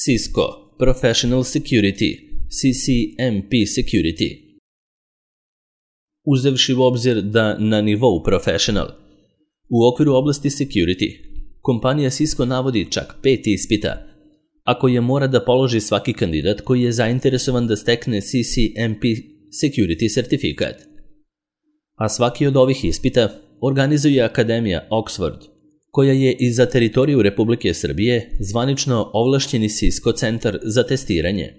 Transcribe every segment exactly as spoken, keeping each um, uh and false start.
Cisco Professional Security, C C M P Security. Uzevši u obzir da na nivou Professional, u okviru oblasti Security, kompanija Cisco navodi čak pet ispita, a koje mora da položi svaki kandidat koji je zainteresovan da stekne C C M P Security sertifikat. A svaki od ovih ispita organizuje Akademija Oxford, koja je i za teritoriju Republike Srbije zvanično ovlašćeni Cisco centar za testiranje.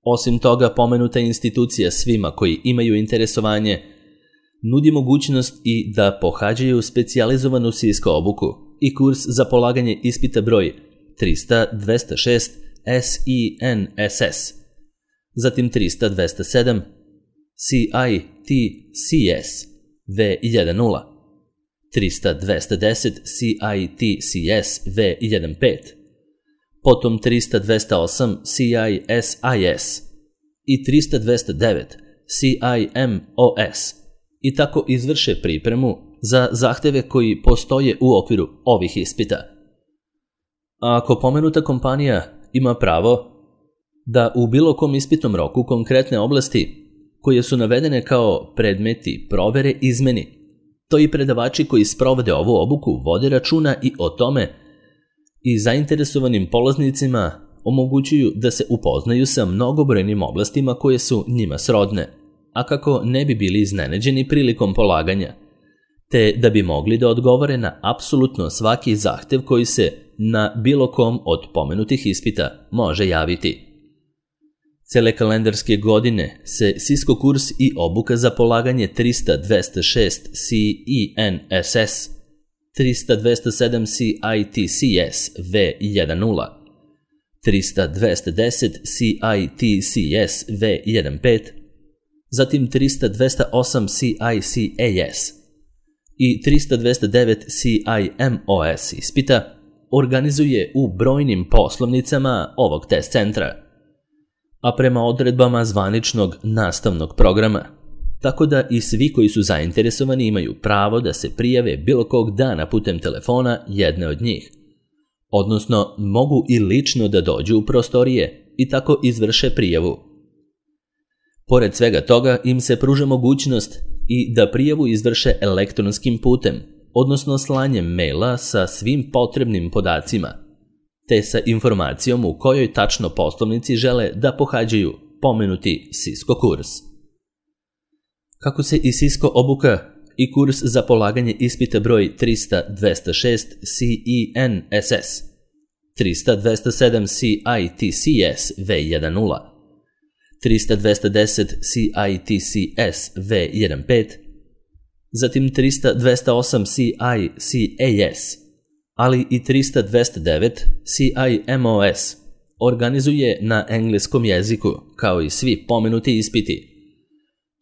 Osim toga, pomenuta institucija svima koji imaju interesovanje nudi mogućnost i da pohađaju specijalizovanu Cisco obuku i kurs za polaganje ispita broj trista dvesta šest S I N S S, zatim trista dvesta sedam C I T C S V deset, trista dvesta deset C I T C S V pet, potom trista dvesta osam C I S I S i trista dvesta devet C I M O S i tako izvrše pripremu za zahteve koji postoje u okviru ovih ispita. A ako pomenuta kompanija ima pravo da u bilo kom ispitnom roku konkretne oblasti koje su navedene kao predmeti provere izmeni, to i predavači koji sprovode ovu obuku vode računa i o tome i zainteresovanim polaznicima omogućuju da se upoznaju sa mnogobrojnim oblastima koje su njima srodne, a kako ne bi bili iznenađeni prilikom polaganja, te da bi mogli da odgovore na apsolutno svaki zahtev koji se na bilo kom od pomenutih ispita može javiti. Cele kalendarske godine se Cisco kurs i obuka za polaganje trista dvesta šest C I N S S, trista dvesta sedam C I T C S V deset, trista dvesta deset C I T C S V pet, zatim trista dvesta osam C I C A S i trista dvesta devet C I M O S ispita organizuje u brojnim poslovnicama ovog test centra, a prema odredbama zvaničnog nastavnog programa, tako da i svi koji su zainteresovani imaju pravo da se prijave bilo kog dana putem telefona jedne od njih, odnosno mogu i lično da dođu u prostorije i tako izvrše prijavu. Pored svega toga im se pruža mogućnost i da prijavu izvrše elektronskim putem, odnosno slanjem maila sa svim potrebnim podacima, te sa informacijom u kojoj tačno poslovnici žele da pohađaju pomenuti Cisco kurs. Kako se i Cisco obuka i kurs za polaganje ispita broj trista dvesta šest C I N S S, trista dvesta sedam C I T C S V deset, trista dvesta deset C I T C S V pet, zatim trista dvesta osam C I C A S, ali i trista dvesta devet C I M O S organizuje na engleskom jeziku, kao i svi pomenuti ispiti.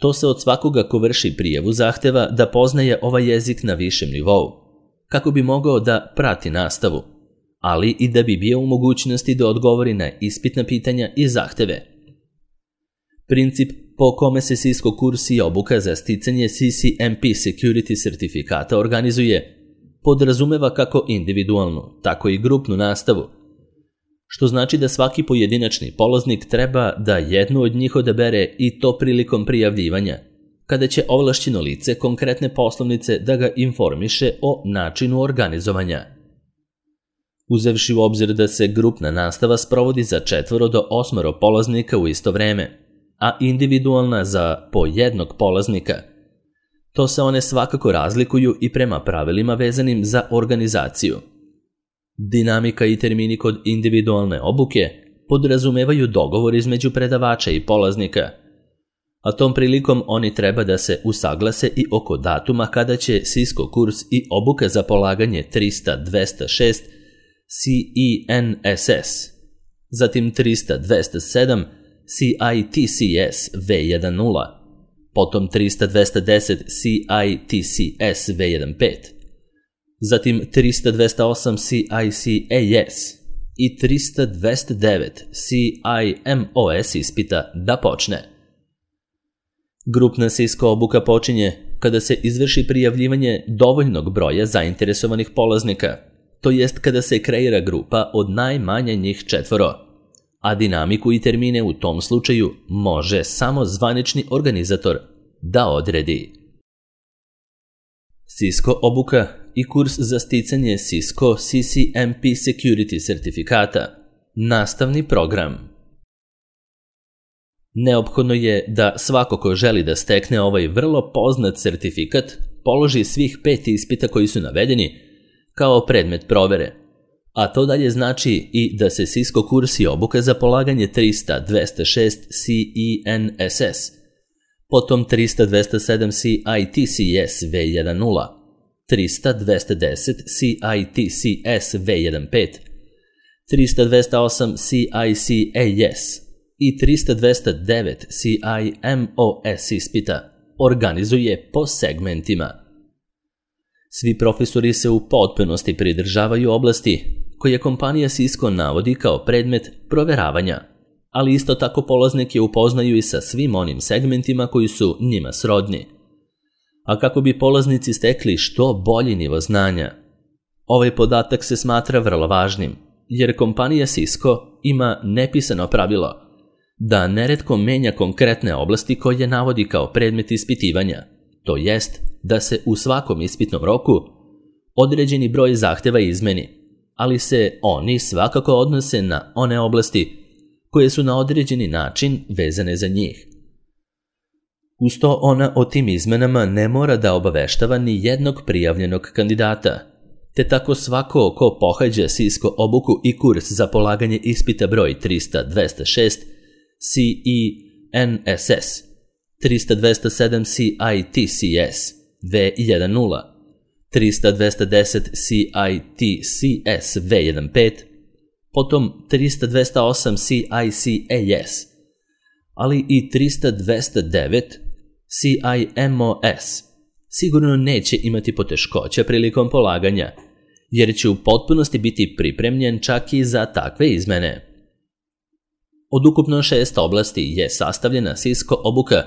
To se od svakoga ko vrši prijavu zahteva da poznaje ovaj jezik na višem nivou, kako bi mogao da prati nastavu, ali i da bi bio u mogućnosti da odgovori na ispitna pitanja i zahteve. Princip po kome se Cisco kurs i obuka za sticanje C C M P Security sertifikata organizuje podrazumeva kako individualnu, tako i grupnu nastavu, što znači da svaki pojedinačni polaznik treba da jednu od njih odabere i to prilikom prijavljivanja, kada će ovlašćeno lice konkretne poslovnice da ga informiše o načinu organizovanja. Uzevši u obzir da se grupna nastava sprovodi za četvoro do osmoro polaznika u isto vreme, a individualna za po jednog polaznika, to se one svakako razlikuju i prema pravilima vezanim za organizaciju. Dinamika i termini kod individualne obuke podrazumevaju dogovor između predavača i polaznika, a tom prilikom oni treba da se usaglase i oko datuma kada će Cisco kurs i obuka za polaganje trista dvesta šest C I N S S, zatim trista dvesta sedam C I T C S V deset, potom trista dvesta deset C I T C S V pet, zatim trista dvesta osam C I C A S i trista dvesta devet C I M O S ispita da počne. Grupna Cisco obuka počinje kada se izvrši prijavljivanje dovoljnog broja zainteresovanih polaznika, to jest kada se kreira grupa od najmanje njih četvoro, a dinamiku i termine u tom slučaju može samo zvanični organizator da odredi. Cisco obuka i kurs za sticanje Cisco C C M P Security sertifikata. Nastavni program. Neophodno je da svako ko želi da stekne ovaj vrlo poznat sertifikat položi svih pet ispita koji su navedeni kao predmet provere, a to dalje znači i da se Cisco kurs i obuka za polaganje trista dvesta šest C E N S S, potom trista dvesta sedam C I T C S V dvanaest, trista dvesta deset C I T C S V pet, trista dvesta osam C I C A S i trista dvesta devet C I M O S ispita organizuje po segmentima. Svi profesori se u potpunosti pridržavaju oblasti koje kompanija Cisco navodi kao predmet proveravanja, ali isto tako polaznike upoznaju i sa svim onim segmentima koji su njima srodni. A kako bi polaznici stekli što bolji nivo znanja, ovaj podatak se smatra vrlo važnim, jer kompanija Cisco ima nepisano pravilo da neretko menja konkretne oblasti koje navodi kao predmet ispitivanja, to jest da se u svakom ispitnom roku određeni broj zahteva izmeni, ali se oni svakako odnose na one oblasti koje su na određeni način vezane za njih. Uz to ona o tim izmenama ne mora da obaveštava ni jednog prijavljenog kandidata, te tako svako ko pohađa Cisco obuku i kurs za polaganje ispita broj trista dvesta šest C E N S S, trista dvesta sedam C I T C S V dvanaest, trista dvesta deset C I T C S V pet, potom trista dvesta osam C I C A S, ali i trista dvesta devet C I M O S sigurno neće imati poteškoća prilikom polaganja, jer će u potpunosti biti pripremljen čak i za takve izmene. Od ukupno šest oblasti je sastavljena Cisco obuka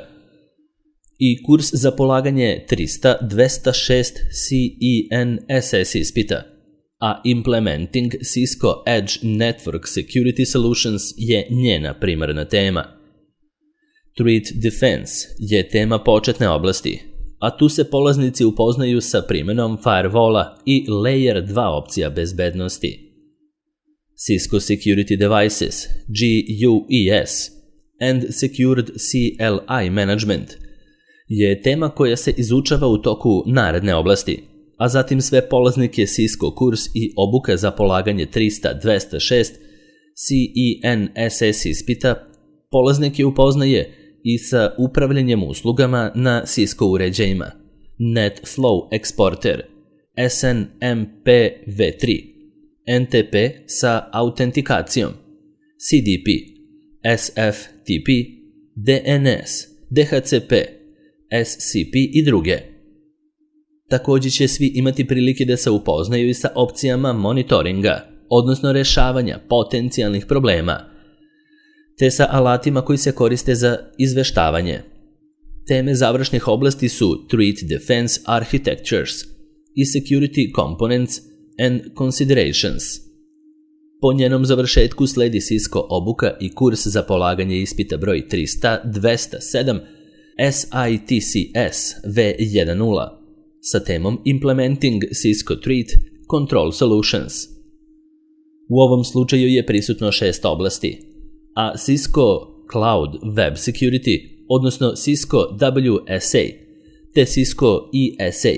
i kurs za polaganje trista dvesta šest C E N S S ispita, a Implementing Cisco Edge Network Security Solutions je njena primarna tema. Threat Defense je tema početne oblasti, a tu se polaznici upoznaju sa primjenom firewalla i Layer dva opcija bezbednosti. Cisco Security Devices, G U E S, and Secured C L I Management je tema koja se izučava u toku naredne oblasti, a zatim sve polaznike Cisco kurs i obuka za polaganje trista dvesta šest C E N S S ispita polaznike upoznaje i sa upravljanjem uslugama na Cisco uređajima, NetFlow Exporter, S N M P v tri, N T P sa autentikacijom, C D P, S F T P, D N S, D H C P, S C P i druge. Također će svi imati prilike da se upoznaju i sa opcijama monitoringa, odnosno rešavanja potencijalnih problema, te sa alatima koji se koriste za izveštavanje. Teme završnih oblasti su Threat Defense Architectures i Security Components and Considerations. Po njenom završetku sledi Cisco obuka i kurs za polaganje ispita broj trista dvesta sedam S I T C S V dvanaest sa temom Implementing Cisco Threat Control Solutions. U ovom slučaju je prisutno šest oblasti, a Cisco Cloud Web Security, odnosno Cisco W S A, te Cisco E S A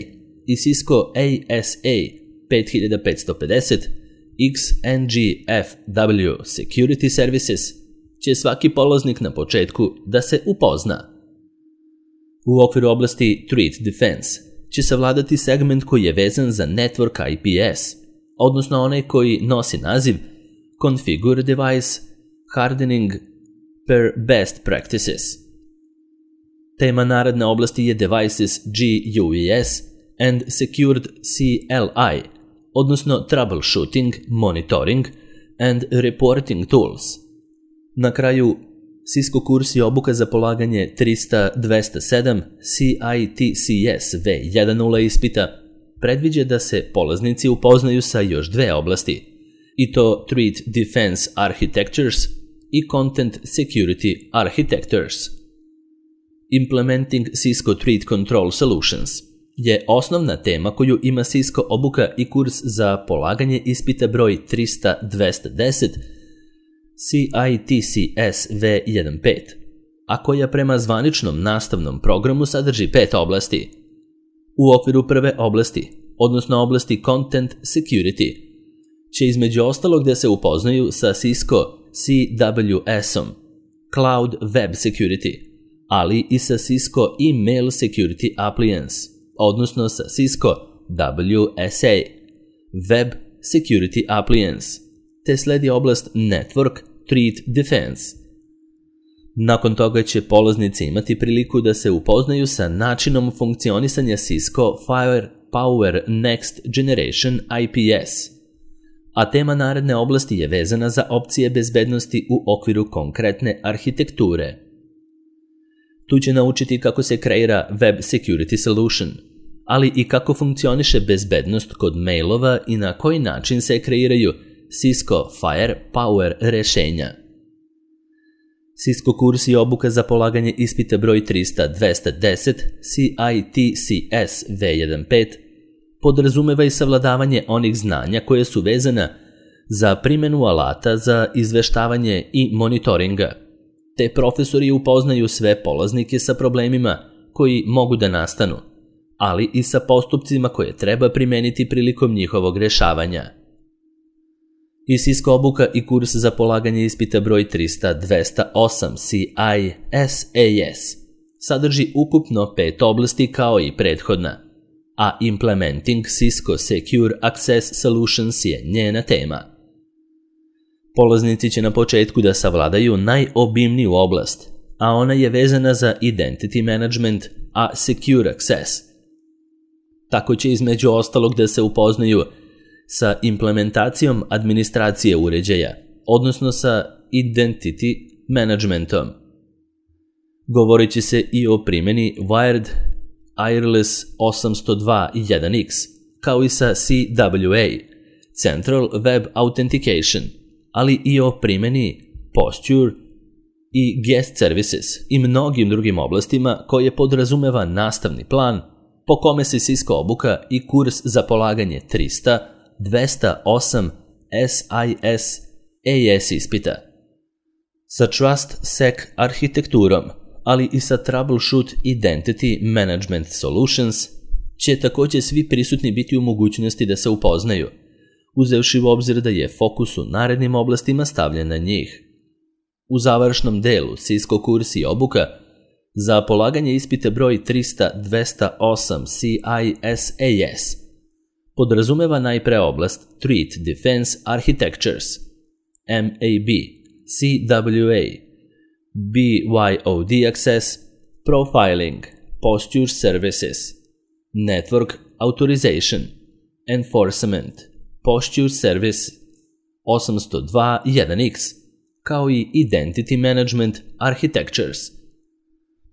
i Cisco A S A pet hiljada petsto pedeset X N G F W Security Services će svaki polaznik na početku da se upozna. U okviru oblasti Threat Defense će savladati segment koji je vezan za Network I P S, odnosno onaj koji nosi naziv Configure Device Hardening per Best Practices. Tema naredne oblasti je Devices G U E S and Secured C L I, odnosno Troubleshooting, Monitoring and Reporting Tools. Na kraju, Cisco kurs i obuka za polaganje trista dvesta sedam C I T C S V dvanaest ispita predviđa da se polaznici upoznaju sa još dve oblasti, i to Threat Defense Architectures i Content Security Architectures. Implementing Cisco Threat Control Solutions je osnovna tema koju ima Cisco obuka i kurs za polaganje ispita broj trista dvesta deset C I T C S V pet, a koja prema zvaničnom nastavnom programu sadrži pet oblasti. U okviru prve oblasti, odnosno oblasti Content Security, će između ostalog da se upoznaju sa Cisco C W S-om, Cloud Web Security, ali i sa Cisco Email Security Appliance, odnosno sa Cisco W S A, Web Security Appliance, te sledi oblast Network Threat Defense. Nakon toga će polaznici imati priliku da se upoznaju sa načinom funkcionisanja Cisco Firepower Next Generation I P S, a tema naredne oblasti je vezana za opcije bezbednosti u okviru konkretne arhitekture. Tu će naučiti kako se kreira Web Security Solution, ali i kako funkcioniše bezbednost kod mailova i na koji način se kreiraju Cisco Firepower rešenja. Cisco kurs i obuka za polaganje ispita broj trista dvesta deset C I T C S V pet podrazumeva i savladavanje onih znanja koje su vezana za primjenu alata za izveštavanje i monitoringa, te profesori upoznaju sve polaznike sa problemima koji mogu da nastanu, ali i sa postupcima koje treba primeniti prilikom njihovog rešavanja. I Cisco obuka i kurs za polaganje ispita broj trista dvesta osam C I S A S sadrži ukupno pet oblasti kao i prethodna, a Implementing Cisco Secure Access Solutions je njena tema. Polaznici će na početku da savladaju najobimniju oblast, a ona je vezana za Identity Management, a Secure Access. Tako će između ostalog da se upoznaju sa implementacijom administracije uređaja, odnosno sa Identity Managementom. Govorit će se i o primjeni Wired Wireless osamsto dva jedan X, kao i sa C W A, Central Web Authentication, ali i o primjeni Posture i Guest Services i mnogim drugim oblastima koje podrazumeva nastavni plan po kome se Cisco obuka i kurs za polaganje trista dvesta osam S I S A S ispita. Sa Trust Sec arhitekturom, ali i sa Troubleshoot Identity Management Solutions, će također svi prisutni biti u mogućnosti da se upoznaju, uzevši u obzir da je fokus u narednim oblastima stavljen na njih. U završnom delu Cisco kurs i obuka za polaganje ispita broj trista dvesta osam C I S A S podrazumeva najpre oblast Threat Defense Architectures, M A B, C W A, B Y O D Access, Profiling, Posture Services, Network Authorization, Enforcement, Posture Service osamsto dva jedan X, kao i Identity Management Architectures.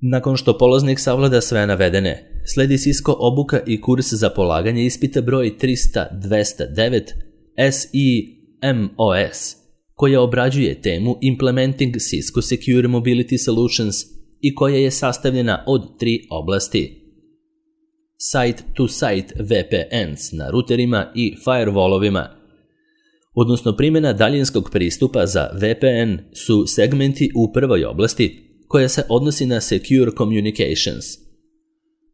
Nakon što polaznik savlada sve navedene, sledi Cisco obuka i kurs za polaganje ispita broj trista dvesta devet S I M O S, koja obrađuje temu Implementing Cisco Secure Mobility Solutions i koja je sastavljena od tri oblasti: Site-to-Site V P Ns na ruterima i firewallovima, odnosno primjena daljinskog pristupa za V P N su segmenti u prvoj oblasti koja se odnosi na Secure Communications,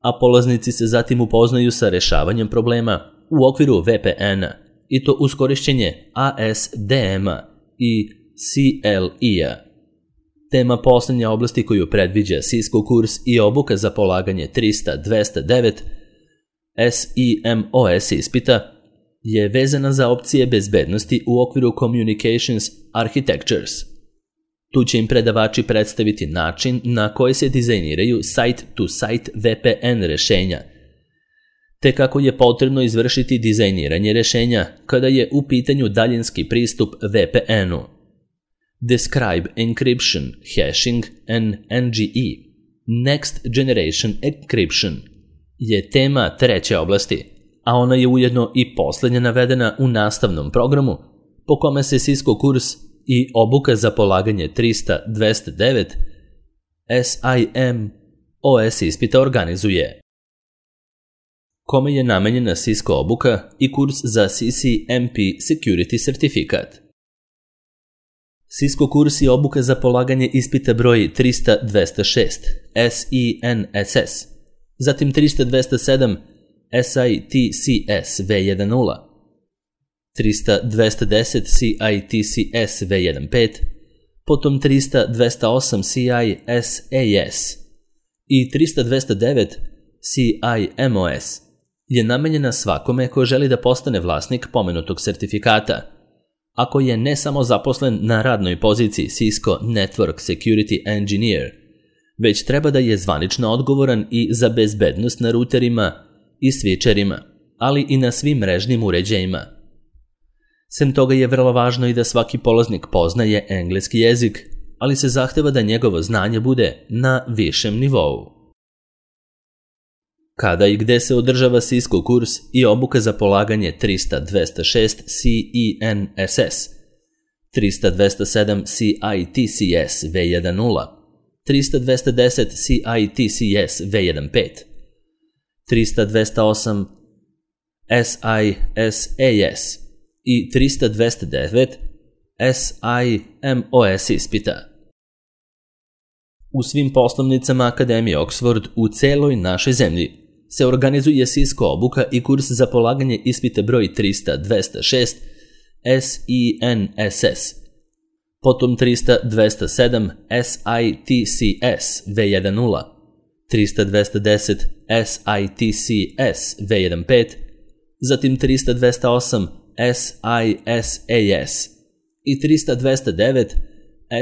a polaznici se zatim upoznaju sa rešavanjem problema u okviru V P N-a, i to uz korišćenje A S D M-a i C L I-a. Tema posljednje oblasti koju predviđa Cisco kurs i obuka za polaganje trista dvesta devet S I M O S ispita je vezana za opcije bezbednosti u okviru Communications Architectures. Tu će im predavači predstaviti način na koji se dizajniraju site-to-site V P N rešenja, te kako je potrebno izvršiti dizajniranje rešenja kada je u pitanju daljinski pristup V P N-u. Describe Encryption, Hashing and N G E, Next Generation Encryption, je tema treće oblasti, a ona je ujedno i posljednja navedena u nastavnom programu po kome se Cisco kurs i obuka za polaganje trista dvesta devet S I M O S ispita organizuje. Kome je namenjena Cisco obuka i kurs za C C M P Security certifikat? Cisco kurs i obuka za polaganje ispita broj trista dvesta šest S I N S S, zatim trista dvesta sedam S I T C S V deset, trista dvesta deset C I T C S V pet, potom trista dvesta osam C I S A S i trista dvesta devet C I M O S je namenjena svakome ko želi da postane vlasnik pomenutog sertifikata, ako je ne samo zaposlen na radnoj poziciji Cisco Network Security Engineer, već treba da je zvanično odgovoran i za bezbednost na ruterima i switcherima, ali i na svim mrežnim uređajima. Sem toga je vrlo važno i da svaki polaznik poznaje engleski jezik, ali se zahteva da njegovo znanje bude na višem nivou. Kada i gde se održava Cisco kurs i obuka za polaganje trista dvesta šest C I N S S, trista dvesta sedam C I T C S V deset, trista dvesta deset C I T C S V pet, trista dvesta osam S I S A S i trista dvesta devet S I M O S ispita. U svim poslovnicama Akademije Oxford u celoj našoj zemlji se organizuje Cisco obuka i kurs za polaganje ispita broj trista dvesta šest S I N S S, potom trista dvesta sedam S I T C S V deset, trista dvesta deset S I T C S V pet, zatim trista dvesta osam S I S A S i trista dvesta devet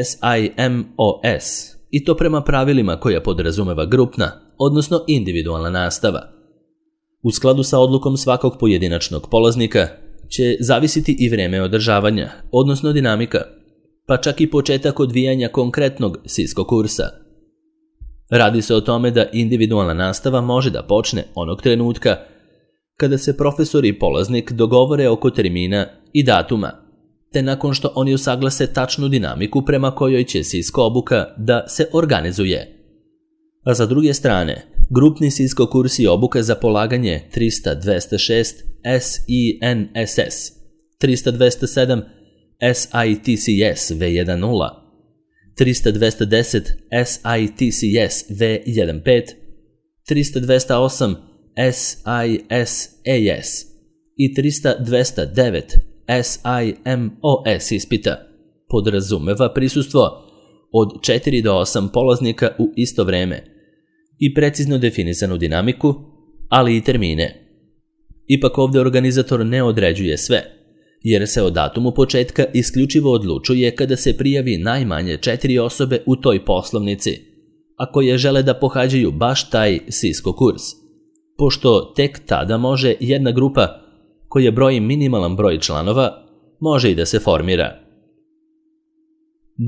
S I M O S, i to prema pravilima koja podrazumeva grupna, odnosno individualna nastava. U skladu sa odlukom svakog pojedinačnog polaznika će zavisiti i vreme održavanja, odnosno dinamika, pa čak i početak odvijanja konkretnog Cisco kursa. Radi se o tome da individualna nastava može da počne onog trenutka kada se profesor i polaznik dogovore oko termina i datuma, te nakon što oni usaglase tačnu dinamiku prema kojoj će Cisco obuka da se organizuje. A za druge strane, grupni Cisco kurs i obuka za polaganje trista dvesta šest S I N S S, trista dvesta sedam S I T C S V deset, trista dvesta deset S I T C S V pet, trista dvesta osam S I S A S i trista dvesta devet S I M O S ispita podrazumeva prisustvo od četiri do osam polaznika u isto vreme i precizno definisanu dinamiku, ali i termine. Ipak ovdje organizator ne određuje sve, jer se o datumu početka isključivo odlučuje kada se prijavi najmanje četiri osobe u toj poslovnici, a koje žele da pohađaju baš taj Cisco kurs, pošto tek tada može jedna grupa koja broji minimalan broj članova može i da se formira.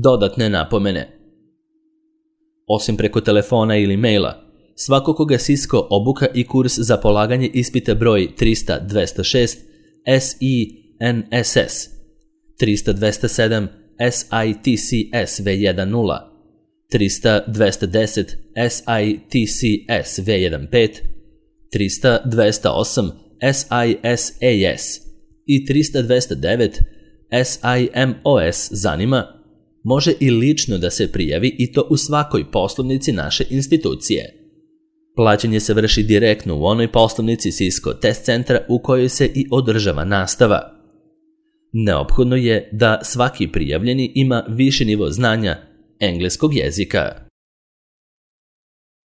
Dodatne napomene. Osim preko telefona ili maila, svako koga Cisco obuka i kurs za polaganje ispita broj trista dvesta šest S I N S S, trista dvesta sedam S I T C S V deset, trista dvesta deset S I T C S V pet, trista dvesta osam S I S A S i trista dvesta devet S I M O S zanima, može i lično da se prijavi i to u svakoj poslovnici naše institucije. Plaćanje se vrši direktno u onoj poslovnici Cisco test centra u kojoj se i održava nastava. Neophodno je da svaki prijavljeni ima viši nivo znanja engleskog jezika.